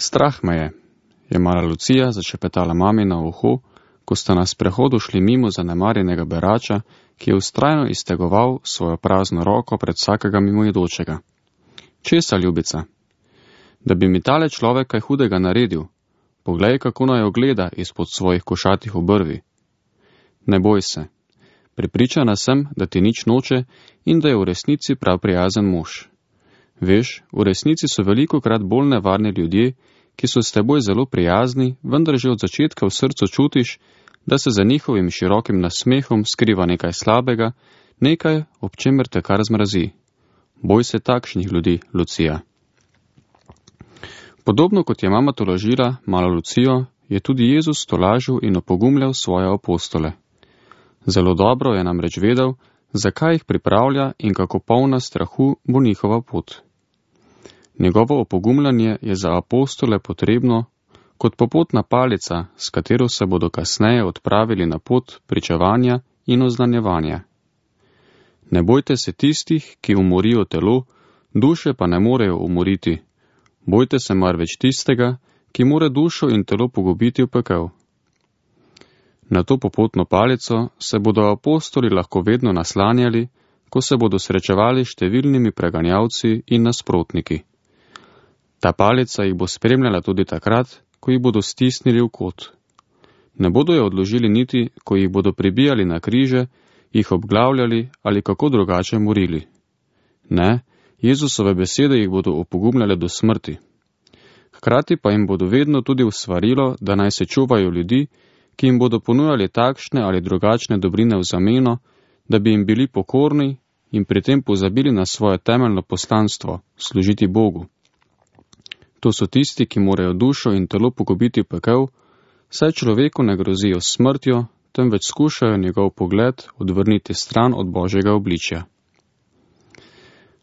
Strah me je mala Lucija začepetala mami na uho, ko sta na sprehodu šli mimo zanemarjenega berača, ki je vztrajno iztegoval svojo prazno roko pred vsakega mimoidočega. Česa, ljubica? Da bi mi tale človek kaj hudega naredil. Poglej, kako naj ogleda izpod svojih košatih obrvi. Ne boj se. Prepričana sem, da ti nič noče in da je v resnici prav prijazen mož. Veš, v resnici so velikokrat bolj nevarni ljudje, ki so s teboj zelo prijazni, vendar že od začetka v srcu čutiš, da se za njihovim širokim nasmehom skriva nekaj slabega, nekaj, ob čemer te kar zmrazi. Boj se takšnih ljudi, Lucija. Podobno kot je mama tolažila malo Lucijo, je tudi Jezus tolažil in opogumljal svoje apostole. Zelo dobro je namreč vedel, zakaj jih pripravlja in kako polna strahu bo njihova pot. Njegovo opogumljanje je za apostole potrebno kot popotna palica, s katero se bodo kasneje odpravili na pot pričevanja in oznanjevanja. Ne bojte se tistih, ki umorijo telo, duše pa ne morejo umoriti. Bojte se marveč tistega, ki more dušo in telo pogubiti v pekel. Na to popotno palico se bodo apostoli lahko vedno naslanjali, ko se bodo srečevali številnimi preganjavci in nasprotniki. Ta palica jih bo spremljala tudi takrat, ko jih bodo stisnili v kot. Ne bodo jo odložili niti, ko jih bodo pribijali na križe, jih obglavljali ali kako drugače morili. Ne, Jezusove besede jih bodo opogumljale do smrti. Hkrati pa jim bodo vedno tudi usvarilo, da naj se čuvajo ljudi, ki jim bodo ponujali takšne ali drugačne dobrine v zameno, da bi jim bili pokorni in pri tem pozabili na svoje temeljno poslanstvo, služiti Bogu. To so tisti, ki morajo dušo in telo pogubiti v pekel, saj človeku ne grozijo s smrtjo, temveč skušajo njegov pogled odvrniti stran od Božjega obličja.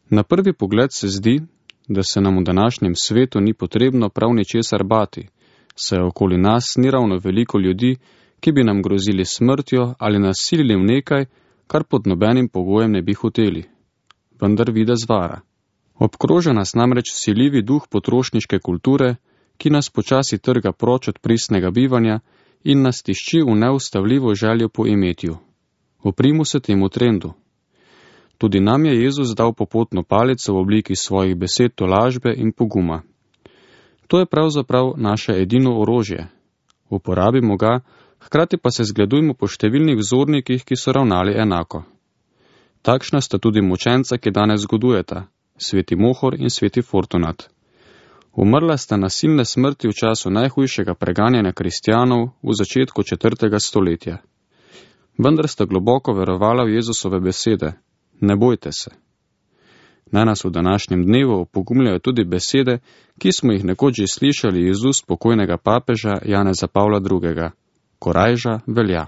Na prvi pogled se zdi, da se nam v današnjem svetu ni potrebno prav ničesar bati, saj okoli nas ni ravno veliko ljudi, ki bi nam grozili smrtjo ali nas silili v nekaj, kar pod nobenim pogojem ne bi hoteli. Vendar videz vara. Obkroža nas namreč vsiljivi duh potrošniške kulture, ki nas počasi trga proč od pristnega bivanja in nas tišči v neustavljivo željo po imetju. Oprimo se temu trendu. Tudi nam je Jezus dal popotno palico v obliki svojih besed tolažbe in poguma. To je pravzaprav naše edino orožje. Uporabimo ga, hkrati pa se zgledujmo po številnih vzornikih, ki so ravnali enako. Takšna sta tudi mučenca, ki danes zgodujeta, sveti Mohor in sveti Fortunat. Umrla sta nasilne smrti v času najhujšega preganjanja kristjanov v začetku 4. stoletja. Vendar sta globoko verovala v Jezusove besede. Ne bojte se. Naj nas v današnjem dnevu opogumljajo tudi besede, ki smo jih nekoč že slišali iz ust pokojnega papeža Janeza Pavla II. Korajža velja.